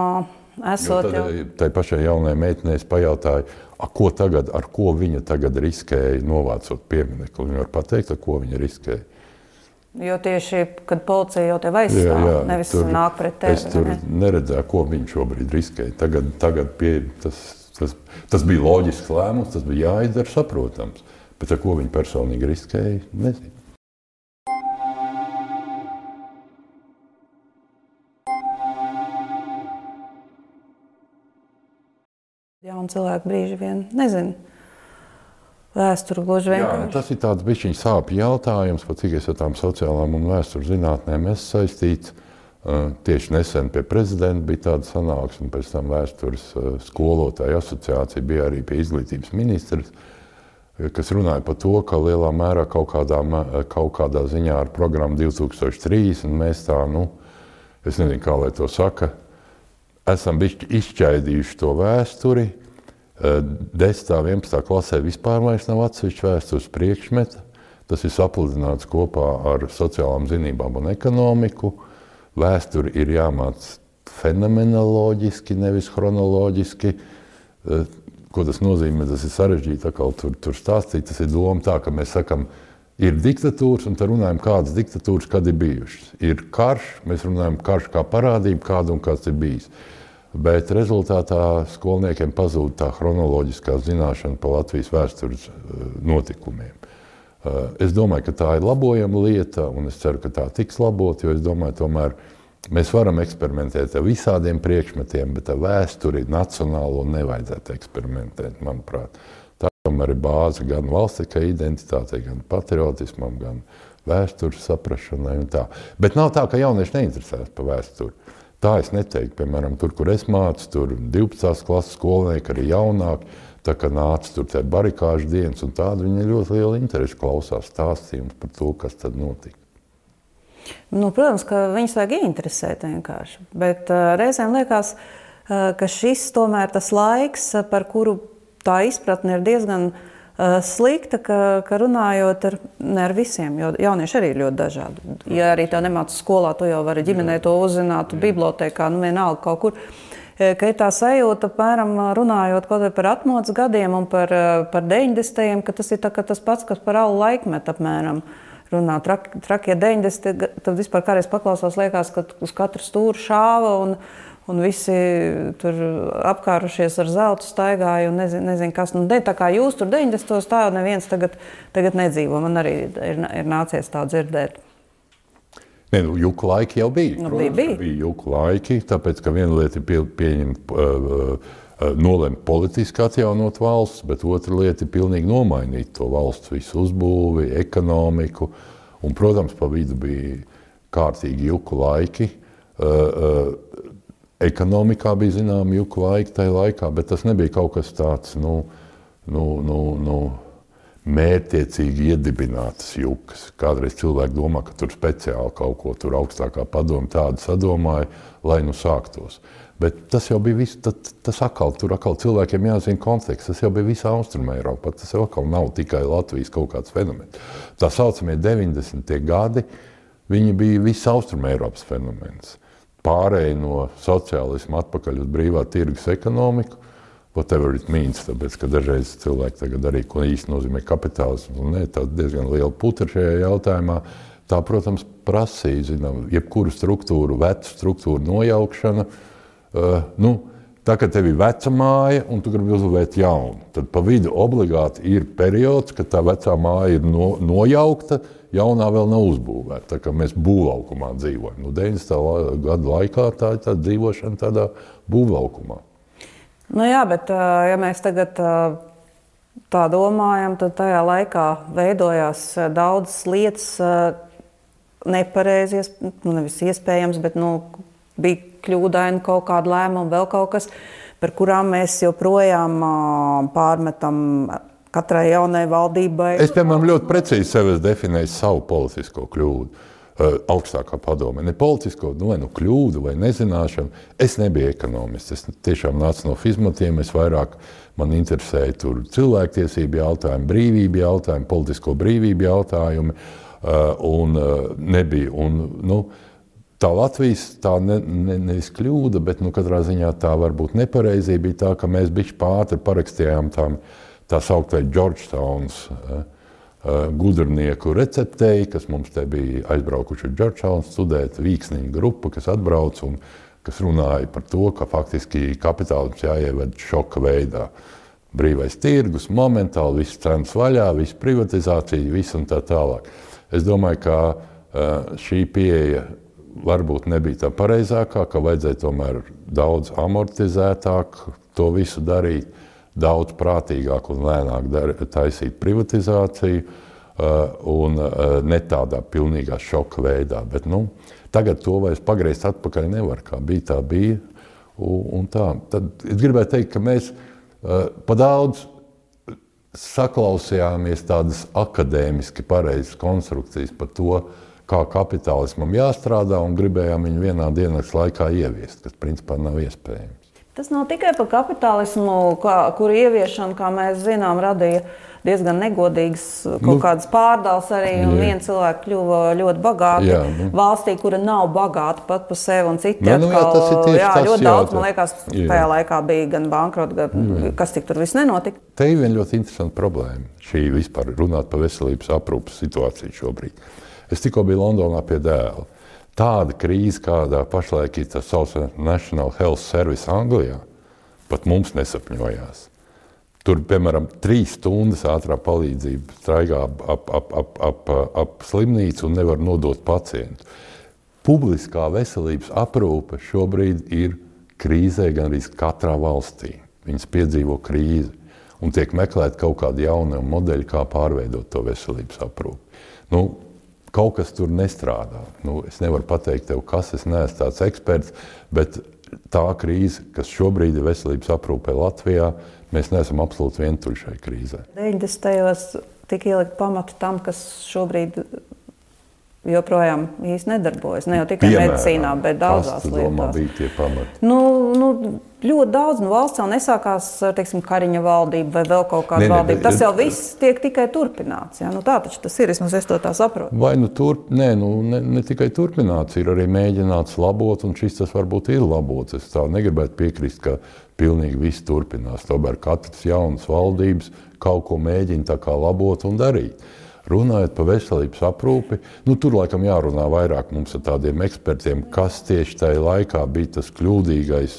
esot jau? Tai pašai jaunai meitenei es pajautāju, a, ko tagad, ar ko viņa tagad riskēja novācot pieminekli. Viņa var pateikt, ar ko viņa riskēja. Jo tieši, kad policija jau tev aizstāv, jā, jā, nevis tur, nāk pret tevi. Es tur ne? neredzēju, ko viņa šobrīd riskēja. Tagad, tagad pie, tas, tas, tas bija loģisks lēmums, tas bija jāizdara saprotams. Bet ar ko viņi personīgi riskēja, nezinu. Jauni cilvēki brīži vien nezinu. Vēsturi gluži vienkārši. Jā, tas ir tāds bišķiņ sāpju jautājums, pat cik es ar tām sociālām un vēsturi zinātnēm esmu saistīts. Tieši nesen pie prezidenta bija tāda sanāksme, un pēc tam vēstures skolotāju asociācija bija arī pie izglītības ministras. kas runāja par to, ka lielā mērā kaut kādā, kaut kādā ziņā ar programmu divi tūkstoši trīsdesmit mēs tā, nu, es nezinu, kā lai to saka, esam bišķi izšķaidījuši to vēsturi. desmitā, vienpadsmitā klasē vispār vairs nav atsevišķa vēstures priekšmeta. Tas ir sapludināts kopā ar sociālām zinībām un ekonomiku. Vēsturi ir jāmāc fenomenoloģiski, nevis chronoloģiski. Ko tas nozīmē? Tas ir sarežģīti atkal tur, tur stāstīt. Tas ir doma tā, ka mēs sakam, ir diktatūras, un tad runājam, kādas diktatūras kad ir bijušas. Ir karš, mēs runājam karš kā parādība, kāda un kāds ir bijis. Bet rezultātā skolniekiem pazūd tā chronoloģiskā zināšana par Latvijas vēstures notikumiem. Es domāju, ka tā ir labojama lieta, un es ceru, ka tā tiks labot, jo es domāju, tomēr mēs varam eksperimentēt ar visādiem priekšmetiem, bet ar vēsturi nacionālo nevajadzētu eksperimentēt, manuprāt. Tā tomēr ir bāze gan valstiskai identitātei, gan patriotismam, gan vēstures saprašanai un tā. Bet nav tā, ka jaunieši neinteresēs par vēsturi. Tā es neteiktu, piemēram, tur, kur es mācu, tur divpadsmitās klases skolnieki, arī jaunāki, tā kā nāca tur tie barikāžu dienas un tāda, viņi ļoti liela interesi klausās stāstījums par to, kas tad notika. Nu, protams, ka viņus vajag ieinteresēt vienkārši, bet uh, reizēm liekas, uh, ka šis tomēr tas laiks, par kuru tā izpratne ir diezgan uh, slikta, ka, ka runājot ar, ne ar visiem, jo jaunieši arī ir ļoti dažādi. Ja arī tev nemāca skolā, tu jau vari ģimenē to uzzināt, bibliotēkā, nu vienalga kaut kur. Ka ir tā sajūta, apmēram runājot kaut vai par atmodas gadiem un par, par deviņdesmitajiem, ka tas ir tā, ka tas pats, kas par alu laikmetu apmēram runā. Trak, trakie deviņdesmitie, tad vispār kādreiz paklausās, liekas, ka uz katru stūru šāva un, un visi tur apkārušies ar zeltu staigāja un nezinu, nezin kas. Nu, de, tā kā jūs tur deviņdesmitos, tā jau neviens tagad, tagad nedzīvo. Man arī ir, ir nācies tā dzirdēt. Ne, nu, juku laiki jau bija. Nu, Protams, bija, bija. bija juku laiki, tāpēc, ka viena lieta ir pie, pieņemt, uh, uh, nolemt politiski atjaunot valsts, bet otra lieta ir pilnīgi nomainīt to valsts visu uzbūvi, ekonomiku. Un, protams, pa vidu bija kārtīgi juku laiki. Uh, uh, ekonomikā bija zināmi juku laiki tajā laikā, bet tas nebija kaut kas tāds, nu, nu, nu, nu mērķtiecīgi iedibinātas jukas. Kādreiz cilvēki domā, ka tur speciāli kaut ko tur augstākā padome tādu sadomāja, lai nu sāktos. Bet tas jau bija viss, tas, tas atkal, tur atkal cilvēkiem jāzina konteksts, tas jau bija visā Austruma Eiropā, tas jau atkal nav tikai Latvijas kaut kāds fenomens. Tā saucamie deviņdesmitie gadi, viņi bija visa Austruma Eiropas fenomens. Pārēja no sociālisma atpakaļ uz brīvā tirgus ekonomiku, whatever it means, tāpēc, ka dažreiz cilvēki tagad arī, ko īsti nozīmē kapitālisms, un ne, tā diezgan liela putra šajā jautājumā, tā, protams, prasīja, zinām, jebkuru struktūru, vecu struktūru nojaukšana. Uh, nu, tā, ka tev ir veca māja, un tu gribi uzbūvēt jaunu, tad pa vidu obligāti ir periods, kad tā vecā māja ir no, nojaukta, jaunā vēl nav uzbūvēta, tā kā mēs būvlaukumā dzīvojam. Nu, deviņdesmitā gadu laikā tā ir tā dzīvošana tādā būvlaukumā. Nu jā, bet ja mēs tagad tā domājam, tad tajā laikā veidojās daudzas lietas nepareizi, nu nevis iespējams, bet nu, bija kļūdaini kaut kāda lēmuma, vēl kaut kas, par kurām mēs joprojām pārmetam katrai jaunai valdībai. Es, piemēram, ļoti precīzi sev definēju savu politisko kļūdu. Augstākā padome. Ne politisko, nu, vai nu kļūdu, vai nezināšanu. Es nebiju ekonomists. Es tiešām nācu no fizmatiem. Es vairāk man interesēja tur cilvēktiesību jautājumi, brīvību jautājumi, politisko brīvību jautājumi. Un nebija. Un, nu, tā Latvijas, tā ne, ne, nevis kļūda, bet nu, katrā ziņā tā varbūt nepareizība bija tā, ka mēs bišķi pātri parakstījām tām, tā sauktai Georgetowns gudrnieku receptei, kas mums te bija aizbraukuši uz Georgetown studēt, vīksniņu grupa, kas atbrauc un kas runāja par to, ka faktiski kapitālisms jāieved šoka veidā. Brīvais tirgus, momentāli, viss cenas vaļā, viss privatizācija, viss un tā tālāk. Es domāju, ka šī pieeja varbūt nebija tā pareizākā, ka vajadzēja tomēr daudz amortizētāk to visu darīt, daudz prātīgāk un lēnāk dar, taisīt privatizāciju uh, un uh, ne tādā pilnīgā šoka veidā. Bet, nu, tagad to vairs pagriezt atpakaļ nevar, kā bija, tā bija. Un, un tā. Tad es gribētu teikt, ka mēs uh, pa daudz saklausījāmies tādas akadēmiski pareizas konstrukcijas par to, kā kapitālismam jāstrādā, un gribējām viņu vienā dienas laikā ieviest, kas principā nav iespējams. Tas nav tikai par kapitālismu, kā, kur ieviešana, kā mēs zinām, radīja diezgan negodīgas kaut nu, kādas pārdales arī, un jā. Viena cilvēka kļuva ļoti bagāti jā, nu. Valstī, kura nav bagāta pat par sevi, un citi nu, atkal, jā, tas ir jā, jā, ļoti jā, daudz, tā. Man liekas, jā. Tajā laikā bija gan bankrota, gan jā. Kas tik tur viss nenotika. Te ir viena ļoti interesanta problēma, šī vispār runāt par veselības aprūpas situāciju šobrīd. Es tikko biju Londonā pie dēla. Tāda krīze, kādā pašlaik ir tas sauc National Health Service Anglijā, pat mums nesapņojās. Tur, piemēram, trīs stundas ātrā palīdzība straigā ap, ap, ap, ap, ap, ap slimnīcu un nevar nodot pacientu. Publiskā veselības aprūpe šobrīd ir krīzē gan arī katrā valstī. Viņas piedzīvo krīzi un tiek meklēt kaut kādi jauni modeļi, kā pārveidot to veselības aprūpi. Nu, kaut kas tur nestrādā. Nu, es nevaru pateikt tev, kas, es neesmu tāds eksperts, bet tā krīze, kas šobrīd ir veselības aprūpē Latvijā, mēs neesam absolūti vientuļi šai krīzē. deviņdesmitajos tika ielikt pamatu tam, kas šobrīd joprojām īsti nedarbojas. Ne jau tikai Piemēram, medicīnā, bet daudzās lietās. Domā, bija tie pamati? Nu, nu, ļoti daudz. Nu, valsts jau nesākās ar, teiksim, Kariņa valdību vai vēl kaut kādu valdību. Tas jau viss tiek tikai turpināts. Ja? Nu, tā taču tas ir, vismaz es to tā saprotu. Vai nu turp, nē, nu, ne, ne tikai turpināts, ir arī mēģināts labot, un šis tas varbūt ir labots. Es tā negribētu piekrist, ka pilnīgi viss turpinās. Tomēr katras jaunas valdības kaut ko mēģina tā kā labot un darīt. Runājot par veselības aprūpi, nu, tur laikam jārunā vairāk mums ar tādiem ekspertiem, kas tieši tajā laikā bija tas kļūdīgais,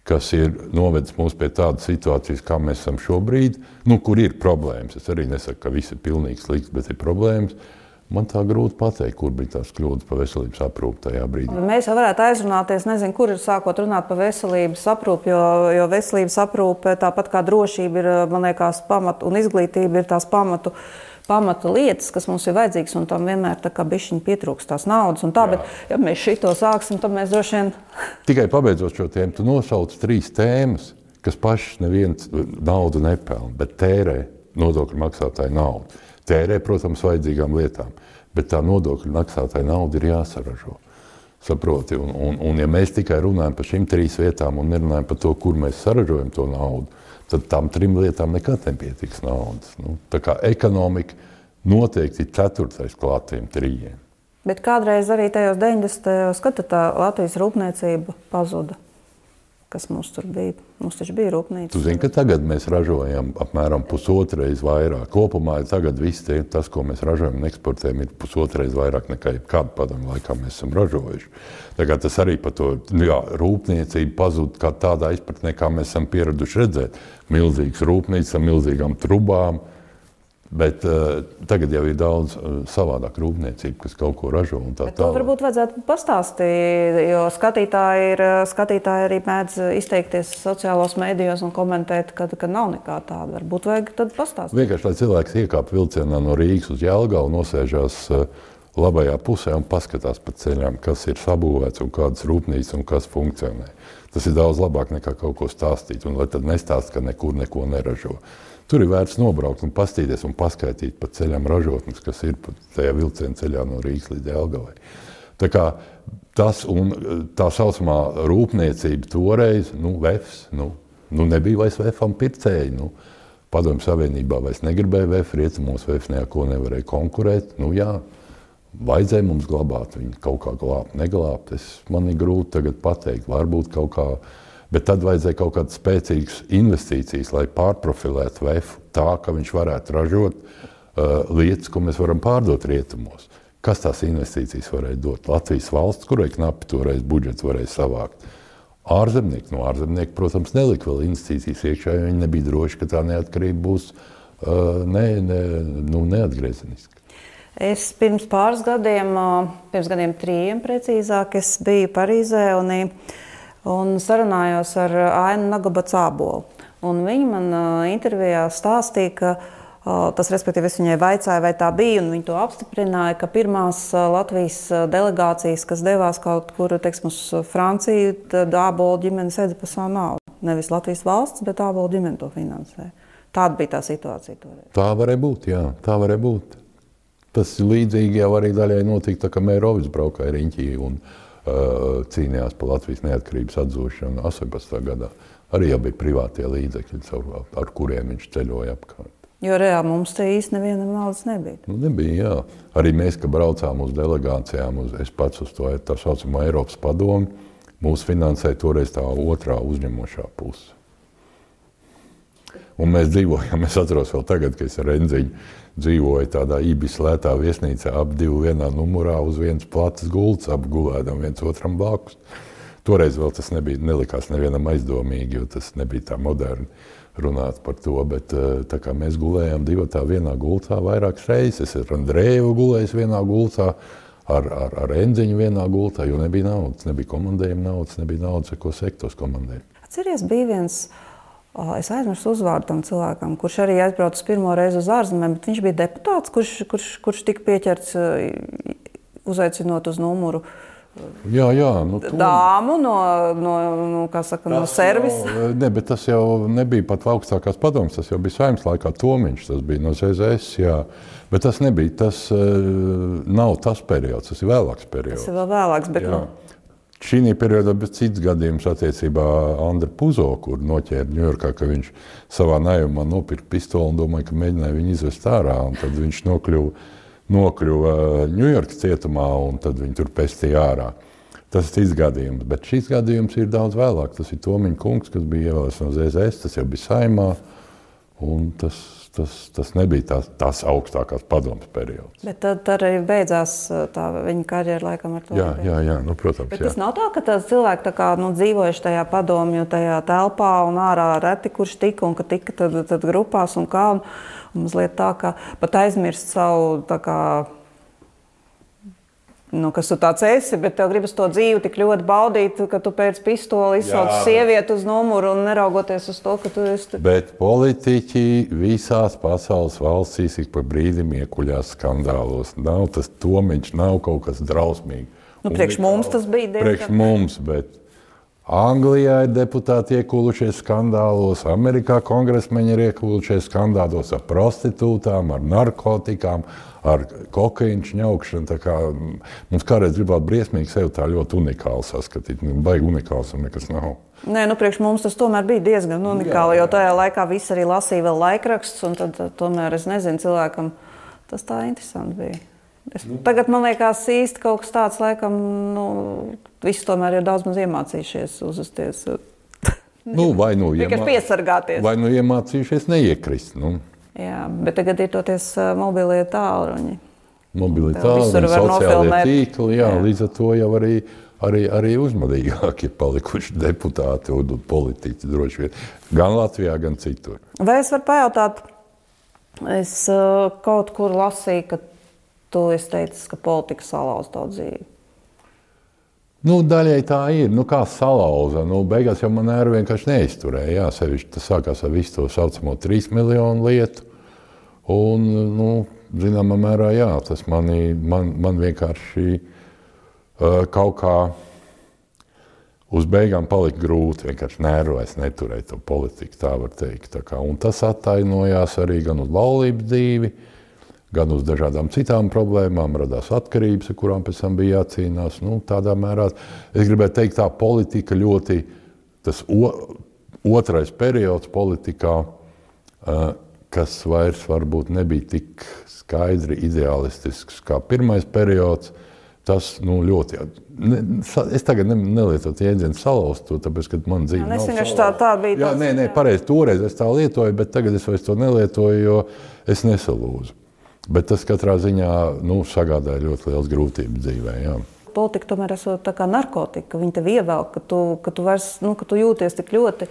kas ir novedis mūs pie tādas situācijas, kā mēs esam šobrīd, nu, kur ir problēmas. Es arī nesaku, ka viss ir pilnīgi slikts, bet ir problēmas. Man tā grūti pateikt, kur bija tās kļūdas par veselības aprūpi tajā brīdī. Mēs jau varētu aizrunāties, nezinu, kur ir sākot runāt par veselības aprūpi, jo, jo veselības aprūpe, tāpat kā drošība ir, man liekas, pamatu, un izglītība ir tās pamatu, pamata lietas, kas mums ir vajadzīgas, un tam vienmēr tā kā bišķiņ pietrūkst tās naudas. Un tā, jā. Bet, ja mēs šito sāksim, tad mēs droši vien... Tikai pabeidzot šo tēmu, tu nosauc trīs tēmas, kas pašas neviens naudu nepelna, bet tērē nodokļu maksātāju naudu. Tērē, protams, vajadzīgām lietām, bet tā nodokļu maksātāju nauda ir jāsaražo. Saproti, un, un, un ja mēs tikai runājam par šīm trīs vietām un nerunājam par to, kur mēs saražojam to naudu, tad tām trim lietām nekad nepietiks naudas. Nu, tā kā ekonomika noteikti ir ceturtais klāt tiem trījiem. Bet kādreiz arī tajos deviņdesmitajos gados tā Latvijas rūpniecība pazuda. Kas mums tur bija? Mums taču bija rūpnīca. Tu zini, ka tagad mēs ražojam apmēram pusotreiz vairāk. Kopumā tagad viss tie, tas, ko mēs ražojam un eksportējam, ir pusotreiz vairāk nekā kādu padomu laikā mēs esam ražojuši. Tagad tas arī par to, jā, rūpniecība pazūd kā tādā izpratnē, kā mēs esam pieraduši redzēt. Milzīgas rūpnīcas ar milzīgām trubām, bet uh, tagad jau ir daudz uh, savādāk rūpniecība, kas kaut ko ražo un tā tālāk. To varbūt vajadzētu pastāstīt, jo skatītāji, ir, skatītāji arī mēdz izteikties sociālos mēdījos un komentēt, ka, ka nav nekā tāda. Varbūt vajag tad pastāstīt. Vienkārši, lai cilvēks iekāp vilcienā no Rīgas uz Jelgavu, nosēžās uh, labajā pusē un paskatās pa ceļām, kas ir sabūvēts un kādas rūpnīcas un kas funkcionē. Tas ir daudz labāk nekā kaut ko stāstīt, un lai tad nestāst, ka nekur neko neražo. Tur ir vērts nobraukt un pastīties un paskaitīt pa ceļam ražotnes, kas ir tajā vilciena ceļā no Rīgas līdz Jelgavai. Tā kā tas un tā saucamā rūpniecība toreiz, nu, vefs, nu, nu nebija vairs vefam pircēji, nu, Padomju Savienībā vairs negribēja vef, rietumos vef neko nevarēja konkurēt, nu jā, vajadzēja mums glabāt, viņi kaut kā glābt, neglābt, es, man ir grūti tagad pateikt, varbūt kaut kā. Bet tad vajadzēja kaut kādas spēcīgas investīcijas, lai pārprofilētu vefu tā, ka viņš varētu ražot uh, lietas, ko mēs varam pārdot rietumos. Kas tās investīcijas varēja dot? Latvijas valsts, kurai knapi toreiz budžets varēja savākt. Ārzemnieki, no ārzemnieki, protams, nelika vēl investīcijas iekšā, jo viņi nebija droši, ka tā neatkarība būs uh, ne, ne, nu, neatgriezeniska. Es pirms pāris gadiem, pirms gadiem trījiem precīzāk, es biju Parīzē un un sarunājos ar Ainu Nagabats-Ābolu. Un viņa man uh, intervijā stāstīja, ka uh, tas, respektīvi, es viņai vaicāju, vai tā bija, un viņa to apstiprināja, ka pirmās uh, Latvijas delegācijas, kas devās kaut kur, teiksim, uz Franciju, tad Ābolu ģimene sēdza par savu naudu. Nevis Latvijas valsts, bet Ābolu ģimene to finansēja. Tāda bija tā situācija toreiz. Tā varēja būt, jā, tā varēja būt. Tas līdzīgi jau arī daļai notika, tā kā Mērovics braukāja riņķī un uh, cīnījās par Latvijas neatkarības atzīšanu astoņpadsmitajā gadā. Arī jau bija privātie līdzekļi, ar, ar kuriem viņš ceļoja apkārt. Jo reāli mums te īsti nevienam naudas nebija. Nu, nebija, jā. Arī mēs, kad braucām uz delegācijām, uz, es pats uz to tā saucamo Eiropas padomi, mūs finansēja toreiz tā otrā uzņemošā puse. Un mēs dzīvojam, es atceros vēl tagad, ka es ar Enziņu dzīvoju tādā Ibis lētā viesnīcā, ap divu vienā numurā uz vienas platas gultas, ap gulēdam viens otram blakus. Toreiz vēl tas nebija, nelikās nevienam aizdomīgi, jo tas nebija tā moderni runāt par to, bet tā kā mēs gulējām divatā vienā gultā vairākas reizes, es ar Andreju gulējis vienā gultā, ar, ar, ar Enziņu vienā gultā, jo nebija naudas, nebija komandējuma naudas, nebija naudas, ar ko sektos komandējumu. Atceries, bija viens, es aizmirstu uzvārdu tam cilvēkam, kurš arī aizbraucis pirmo reizi uz ārzemēm, bet viņš bija deputāts, kurš, kurš, kurš tika pieķerts uzaicinot uz numuru jā, jā, nu, dāmu no, no, no, kā saka, no servisa. Jau, ne, bet tas jau nebija pat augstākās padomas, tas jau bija Saeimas laikā Tomiņš, tas bija no Z Z S, jā. Bet tas nebija, tas uh, nav tas periods, tas ir vēlāks periods. Tas ir vēl vēlāks, bet... Nu... Šī periodā bija cits gadījums attiecībā Andra Puzo, kur noķēra Ņujorkā, ka viņš savā naivumā nopirka pistoli un domāja, ka mēģināja viņu izvest ārā. Un tad viņš nokļuva, nokļuva Ņujorkas cietumā un tad viņu tur pestīja ārā. Tas ir cits gadījums, bet šis gadījums ir daudz vēlāk. Tas ir Tomiņa kungs, kas bija ievēlēts no Z Z S, tas jau bija Saeimā. Un tas, tas, tas nebija tās, tās augstākās padomas periods. Bet tad, tad arī beidzās tā viņa karjera laikam ar to. Jā, jā, jā, nu, protams, bet jā. Tas nav tā, ka tās cilvēki tā kā, nu, dzīvojuši tajā padomju, tajā telpā un ārā reti, kurš tika un ka tika tad, tad grupās un kā. Un, un mazliet tā, ka pat aizmirst savu tā kā, nu, kas tu tāds esi, bet tev gribas to dzīvi tik ļoti baudīt, ka tu pēc pistoli izsauc sievieti uz numuru un neraugoties uz to, ka tu esi... Bet politiķi visās pasaules valstīs ik pa brīdim iekuļās skandālos. Nav tas Tomiņš, nav kaut kas drausmīgi. Nu, priekš mums tas bija diezgan... Priekš mums, bet Anglijā ir deputāti iekūlušies skandālos, Amerikā kongresmeņi ir iekūlušies skandālos ar prostitūtām, ar narkotikām, ar kokaīnu šņaukšanu. Tā kā mums kādreiz gribētu briesmīgi sevi tā ļoti unikāli saskatīt. Baigi unikāls un nekas nav. Nē, nu priekš mums tas tomēr bija diezgan unikāli, jo tajā laikā viss arī lasīja vēl laikrakstus, un tad tomēr, es nezinu, cilvēkam tas tā interesanti bija. Es, tagad man liekas īsti kaut kas tāds, laikam, nu, visi tomēr ir daudz maz iemācījušies uzvesties. Nu, vai nu, iemā... piesargāties. Vai nu iemācījušies neiekrist, nu. Jā, bet tagad ir toties mobilie tālruņi. Mobilie tālruņi, sociālie tīkli, jā, jā, līdz ar to jau arī, arī, arī uzmanīgāki ir palikuši deputāti un politiķi droši vien, gan Latvijā, gan citur. Vai es varu pajautāt, es uh, kaut kur lasīju, ka tu esi teicis, ka politika salauz tavu dzīvi? Nu, daļai tā ir. Nu, kā salauza? Nu, beigās jau man nervi vienkārši neizturēja. Jā, sevišķi tas sākās ar visu to saucamo trīs miljonu lietu. Un, nu, zināmā mērā, jā, tas mani, man, man vienkārši uh, kaut kā uz beigām palika grūti. Vienkārši nervais neturēt to politiku, tā var teikt. Tā kā, un tas attainojās arī gan uz laulības dzīvi, gan uz dažādām citām problēmām, radās atkarības, ar kurām pēc tam bija jācīnās. Nu, tādā mērā, es gribētu teikt, tā politika ļoti, tas o, otrais periods politikā, uh, kas vairs varbūt nebija tik skaidri ideālistisks kā pirmais periods, tas, nu, ļoti, ne, es tagad ne, nelietotu jēdzienu salauzt to, tāpēc, ka man dzīve nav salauzta. Tā, tā bija jā, nē, nē, pareizi, toreiz es tā lietoju, bet tagad es vairs to nelietoju, jo es nesalūzu. Bet tas katrā ziņā, nu, sagādāja ļoti liels grūtības dzīvē, jā. Politika tomēr esot tā kā narkotika, viņa tev ievelk, ka tu, ka tu, vairs, nu, ka tu jūties tik ļoti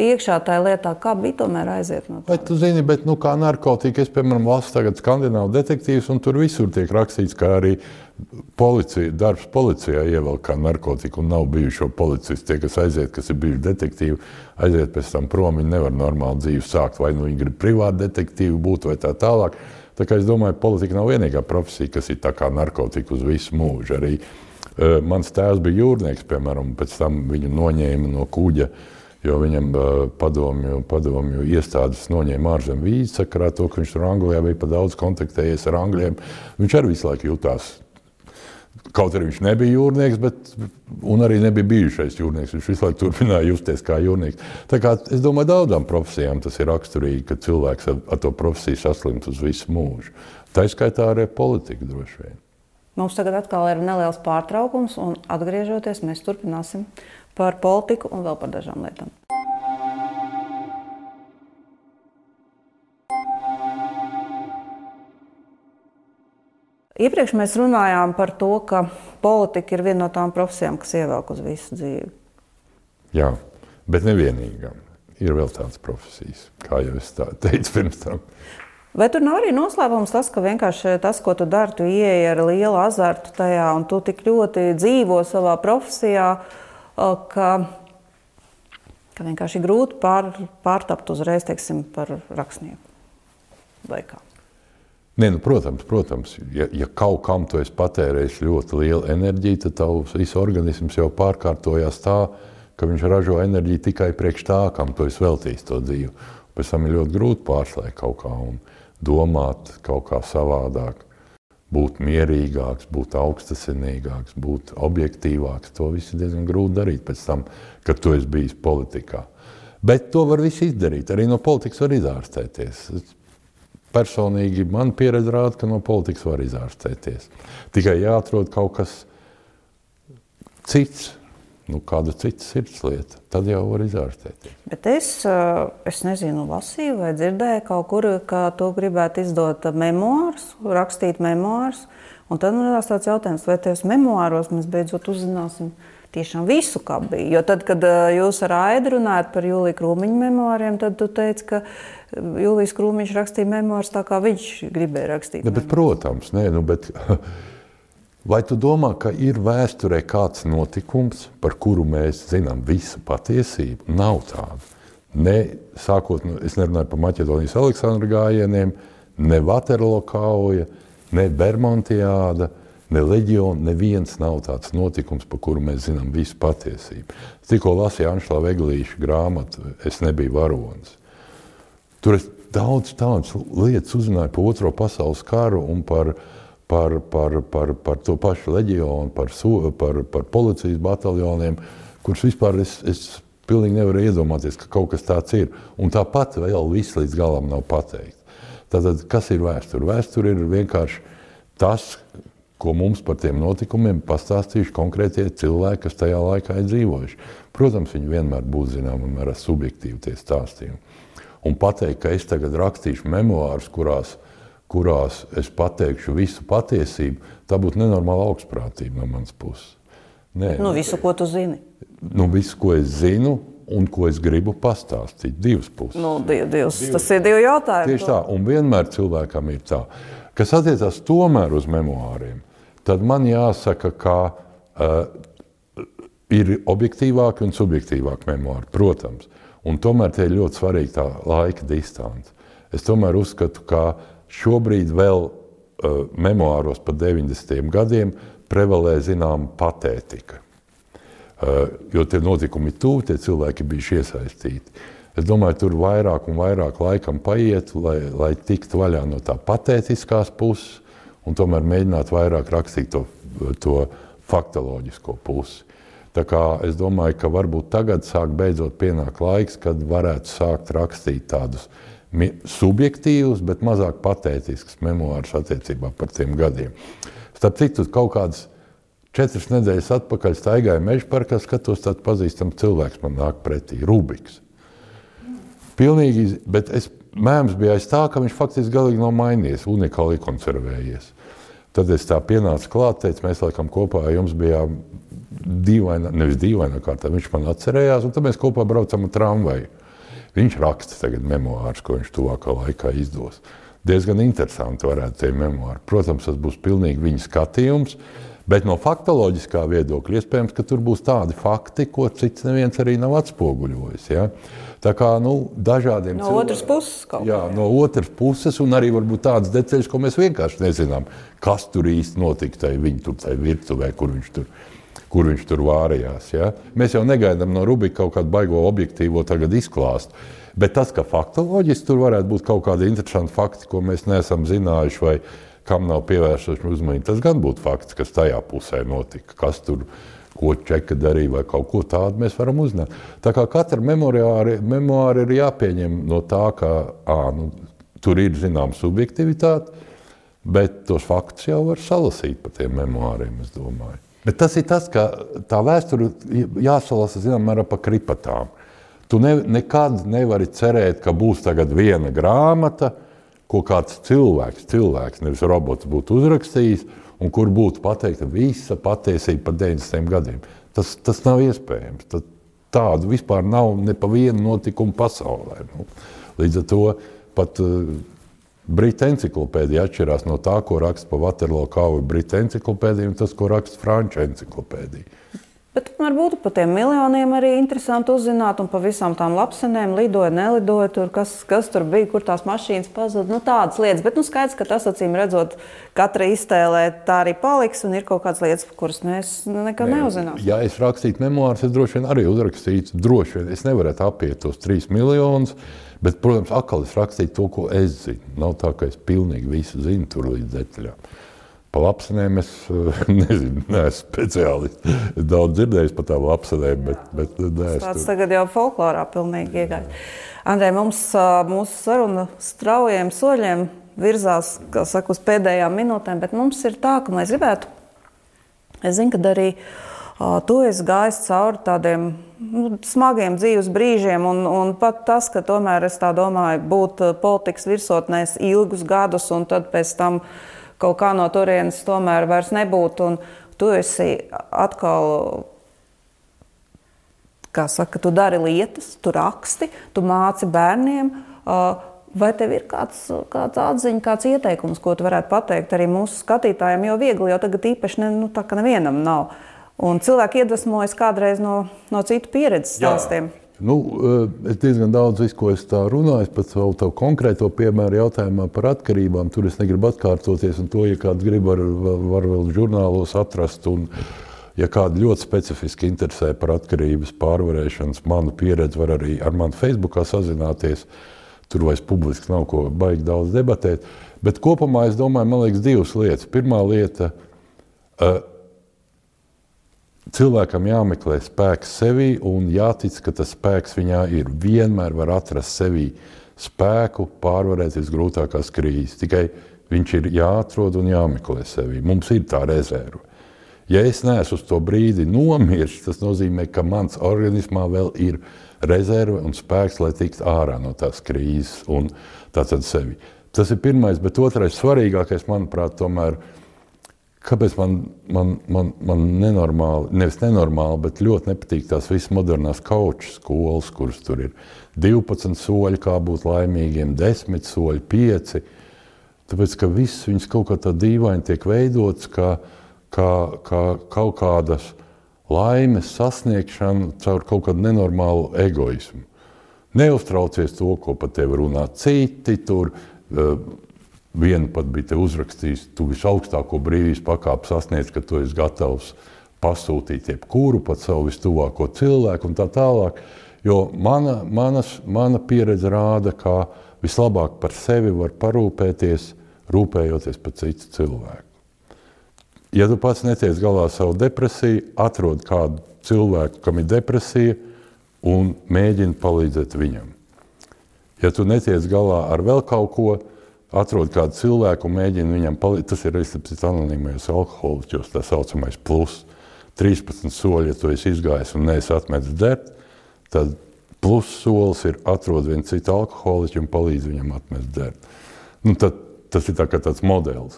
iekšā tajā lietā, kā bija tomēr aiziet no tā. Vai tu zini, bet, nu, kā narkotika, es, piemēram, lasu tagad skandināvu detektīvus, un tur visur tiek rakstīts, ka arī policija, darbs policijā ievelk kā narkotika, un nav bijušo policistu, tie, kas aiziet, kas ir bijuši detektīvi, aiziet pēc tam prom, viņi nevar normāli dzīvi sākt, vai nu viņi grib privāti detektīvi būt, vai tā tālāk. Tā kā es domāju, politika nav vienīgā profesija, kas ir tā kā narkotika uz visu mūžu. Arī uh, mans tēvs bija jūrnieks, piemēram, pēc tam viņu noņēma no kuģa jo viņam padomju, padomju iestādes noņēma ārzem vīzi sakarā to, ka viņš tur Anglijā bija pa daudz kontaktējies ar angļiem. Viņš arī visu laiku jutās, kaut arī viņš nebija jūrnieks, bet, un arī nebija bijušais jūrnieks. Viņš visu laiku turpināja justies kā jūrnieks. Tā kā es domāju, daudzām profesijām tas ir raksturīgi, ka cilvēks ar, ar to profesiju saslimt uz visu mūžu. Tā izskaitā arī politika droši vien. Mums tagad atkal ir neliels pārtraukums, un atgriežoties, mēs turpināsim par politiku un vēl par dažām lietām. Iepriekš mēs runājām par to, ka politika ir viena no tām profesijām, kas ievelk uz visu dzīvi. Jā, bet nevienīgām. Ir vēl tādas profesijas, kā jau es teicu pirms tam. Vai tur nav arī noslēpums tas, ka vienkārši tas, ko tu dari, tu ieeji ar lielu azartu tajā, un tu tik ļoti dzīvo savā profesijā, ka, ka vienkārši grūti pār, pārtapt uzreiz, teiksim, par rakstnieku vai kā? Nē, nu, protams, protams. Ja, ja kaut kam tu esi patērējis ļoti lielu enerģiju, tad tavs viss organisms jau pārkārtojās tā, ka viņš ražo enerģiju tikai priekš tā, kam tu esi veltījis to dzīvi. Pēc tam ir ļoti grūti pārslēgt kaut kā un domāt kaut kā savādāk, būt mierīgāks, būt augstasinīgāks, būt objektīvāks. To viss ir diezgan grūti darīt pēc tam, kad tu esi bijis politikā. Bet to var visu izdarīt. Arī no politikas var izārstēties. Personīgi man pieredze rāda, ka no politikas var izārstēties. Tikai jāatrod kaut kas cits, nu, kāda cita sirdslieta, tad jau var izārstēties. Bet es, es nezinu, lasīju vai dzirdēju kaut kur, ka tu gribētu izdot memoārus, rakstīt memoārus, un tad man radās tāds jautājums, vai tajos memoāros mēs beidzot uzzināsim tiešām visu, kā bija. Jo tad, kad jūs ar Aidu runājat par Jūlija Krūmiņa memoāriem, tad tu teici, ka Jūlijs Krūmiņš rakstīja memoārus tā, kā viņš gribēja rakstīt. Ne, bet, protams, nē, nu, bet vai tu domā, ka ir vēsturē kāds notikums, par kuru mēs zinām visu patiesību? Nav tāda. Ne, sākot, es nerunāju par Maķedonijas Aleksandra gājieniem, ne Vaterlo kauja, ne Bermontiāda, ne Leģiona, neviens nav tāds notikums, par kuru mēs zinām visu patiesību. Es tikko lasīju Anšlava Eglīša grāmatu Es nebiju varonis. Tur es daudz tādas lietas uzzināju par Otro pasaules karu un par Par, par, par, par to pašu leģionu, par, par, par policijas bataljoniem, kurus vispār es, es pilnīgi nevaru iedomāties, ka kaut kas tāds ir. Un tāpat vēl viss līdz galam nav pateikts. Tātad, kas ir vēsture? Vēsture ir vienkārši tas, ko mums par tiem notikumiem pastāstījuši konkrētie cilvēki, kas tajā laikā ir dzīvojuši. Protams, viņi vienmēr būs zinām un mērā subjektīvi tie stāstījumi. Un pateikt, ka es tagad rakstīšu memoārus, kurās kurās es pateikšu visu patiesību, tā būtu nenormāla augstprātība no manas puses. Nē, nu, visu, ko tu zini. Nu, visu, ko es zinu un ko es gribu pastāstīt. Divas puses. Nu, div, divs, divas. Tas ir divi jautājumi. Tieši tā, un vienmēr cilvēkam ir tā. Kas attiecās tomēr uz memoāriem, tad man jāsaka, ka uh, ir objektīvāki un subjektīvāki memoāri, protams. Un tomēr tie ir ļoti svarīgi tā laika distance. Es tomēr uzskatu, ka šobrīd vēl uh, memoāros par deviņdesmitajiem gadiem prevalē zinām patētika. Uh, jo tie notikumi tuvu, tie cilvēki bijuši iesaistīti. Es domāju, tur vairāk un vairāk laikam paiet, lai, lai tiktu vaļā no tā patētiskās puses un tomēr mēģināt vairāk rakstīt to, to faktoloģisko pusi. Tā kā es domāju, ka varbūt tagad sāk beidzot pienāk laiks, kad varētu sākt rakstīt tādus subjektīvus, bet mazāk patētisks memoārus attiecībā par tiem gadiem. Starp citu, kaut kādas četras nedēļas atpakaļ staigāju mežparkā, skatos tāds pazīstams cilvēks man nāk pretī, Rubiks. Pilnīgi, bet es mēms bija aiz tā, ka viņš faktiski galīgi nav mainījies, unikāli konservējies. Tad es tā pienācu klāt, teicu, mēs laikam kopā jums bijām dīvainā, nevis dīvainā kārtā, viņš man atcerējās, un tad mēs kopā braucam ar tramvaju. Viņš raksta tagad memoārus, ko viņš tuvākā laikā izdos. Diezgan interesanti varētu tie memoāri. Protams, tas būs pilnīgi viņa skatījums, bet no faktoloģiskā viedokļa iespējams, ka tur būs tādi fakti, ko cits neviens arī nav atspoguļojis. Ja? Tā kā, nu, dažādiem no otras puses kaut kā. Jā, no otras puses, un arī varbūt tādas detaļas, ko mēs vienkārši nezinām, kas tur īsti notika tai viņa tur tai virtuvē, kur viņš tur, kur viņš tur vārījās. Ja? Mēs jau negaidām no Rubika kaut kādu baigo objektīvo tagad izklāstu. Bet tas, ka faktoloģiski tur varētu būt kaut kādi interesanti fakti, ko mēs neesam zinājuši vai kam nav pievērsuši uzmanību, tas gan būtu fakts, kas tajā pusē notika. Kas tur, ko Čeka darīja vai kaut ko tādu mēs varam uzzināt. Tā kā katra memoāri, memoāri ir jāpieņem no tā, ka ā, nu, tur ir zinām subjektivitāte, bet tos faktus jau var salasīt pa tiem memoāriem, es domāju. Bet tas ir tas, ka tā vēsture jāsalasa, zinām, mērā pa kripatām. Tu ne, nekad nevari cerēt, ka būs tagad viena grāmata, ko kāds cilvēks, cilvēks, nevis robots būtu uzrakstījis, un kur būtu pateikta visa patiesība par deviņdesmitiem gadiem. Tas, tas nav iespējams. Tad tādu vispār nav ne pa vienu notikumu pasaulē. Nu, līdz ar to pat uh, Brita enciklopēdija atšķirās no tā, ko raksta pa Waterloo kauju Brita enciklopēdija, un tas, ko raksta Franču enciklopēdija. Bet varbūt par tiem miljoniem arī interesanti uzzināt, un pa visām tām lapsenēm lidoja, nelidoja, tur, kas, kas tur bija, kur tās mašīnas pazuda, nu tādas lietas. Bet nu skaidrs, ka tas, acīm redzot, katra iztēlē tā arī paliks, un ir kaut kādas lietas, kuras mēs nekad ne, neuzzinām. Ja es rakstītu memoārus, es droši vien arī uzrakstītu, droši vien, es nevarētu apiet tos trīs miljonus, bet, protams, atkal es rakstītu to, ko es zinu. Nav tā, ka es pilnīgi visu zinu tur līdz detaļām. Pa lapsenēm es nezinu, neesmu speciālists. Es daudz dzirdējis par tām lapsenēm, bet, bet neesmu. Tāds tagad jau folklorā pilnīgi iegājis. Andrej, mums mūsu saruna straujiem soļiem virzās, kā saka, uz pēdējām minūtēm, bet mums ir tā, ka mēs gribētu, es zinu, ka arī uh, tu esi gājis cauri tādiem nu, smagiem dzīves brīžiem, un, un pat tas, ka tomēr es tā domāju, būt politikas virsotnēs ilgus gadus, un tad pēc tam kaut kā no turienes tomēr vairs nebūtu, un tu esi atkal, kā saka, tu dari lietas, tu raksti, tu māci bērniem. Vai tev ir kāds, kāds atziņa, kāds ieteikums, ko tu varētu pateikt arī mūsu skatītājiem, jo viegli jau tagad īpaši ne, nu, tā, ka nevienam nav. Un cilvēki iedvesmojas kādreiz no, no citu pieredzes stāstiem. Jā. Nu, es diezgan daudz visu, ko es tā runāju, pat savu tavu konkrēto piemēru jautājumā par atkarībām. Tur es negribu atkārtoties, un to, ja kāds grib, var, var vēl žurnālos atrast. Un, ja kādu ļoti specifiski interesē par atkarības pārvarēšanas manu pieredzi, var arī ar mani Facebookā sazināties. Tur vairs publiski nav ko baigi daudz debatēt. Bet kopumā es domāju, man liekas, divas lietas. Pirmā lieta uh, – cilvēkam jāmeklē spēks sevī un jātic, ka tas spēks viņā ir. Vienmēr var atrast sevī spēku pārvarēt visgrūtākās krīzes. Tikai viņš ir jāatrod un jāmeklē sevī. Mums ir tā rezerve. Ja es neesmu uz to brīdi nomirst, tas nozīmē, ka mans organismā vēl ir rezerve un spēks, lai tiktu ārā no tās krīzes un tātad sevi. Tas ir pirmais, bet otrais svarīgākais, manuprāt, tomēr kāpēc man, man, man, man nenormāli, nevis nenormāli, bet ļoti nepatīk tās visas modernās kauču skolas, kuras tur ir divpadsmit soļi, kā būt laimīgiem, desmit soļi, pieci. Tāpēc, ka viss viņas kaut kā tā dīvaini tiek veidots, kā, kā, kā kaut kādas laimes sasniegšana caur kaut kādu nenormālu egoismu. Neuztraucies to, ko par tevi runā citi tur, vienu pat bija te uzrakstījis, tu visaugstāko brīvības pakāpi sasniedz, ka tu esi gatavs pasūtīt jebkuru, pat savu vistuvāko cilvēku un tā tālāk. Jo mana, manas, mana pieredze rāda, ka vislabāk par sevi var parūpēties, rūpējoties par citu cilvēku. Ja tu pats netiec galā savu depresiju, atrod kādu cilvēku, kam ir depresija, un mēģini palīdzēt viņam. Ja tu netiec galā ar vēl kaut ko, atrod kādu cilvēku un mēģina viņam palīdzēt. Tas ir recepts anonīmajos alkoholiķos, tā saucamais plus. trīspadsmit soļi, ja tu esi izgājis un neesi atmetis dzert, tad plus solis ir atrod vienu citu alkoholiķu un palīdz viņam atmest dzert. Nu, tad, tas ir tā kā tāds modelis.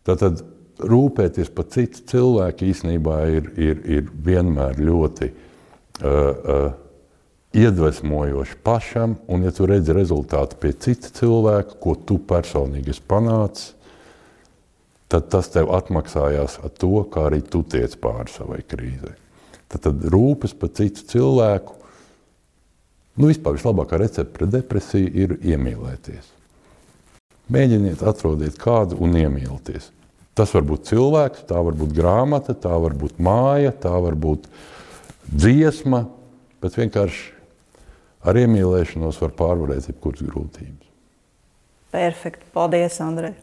Tātad rūpēties par citu cilvēku īstenībā ir, ir, ir vienmēr ļoti uh, uh, iedvesmojoši pašam, un ja tu redzi rezultātu pie cita cilvēka, ko tu personīgi esi panācis, tad tas tev atmaksājās ar to, kā arī tu tiec pāri savai krīzei. Tad, tad rūpes par citu cilvēku, nu vispār vislabākā recepte pret depresiju ir iemīlēties. Mēģiniet, atrodiet kādu un iemīlieties. Tas var būt cilvēks, tā var būt grāmata, tā var būt māja, tā var būt dziesma, bet vienkārši ar iemīlēšanos var pārvarēt jebkuras grūtības. Perfekti. Paldies, Andrej.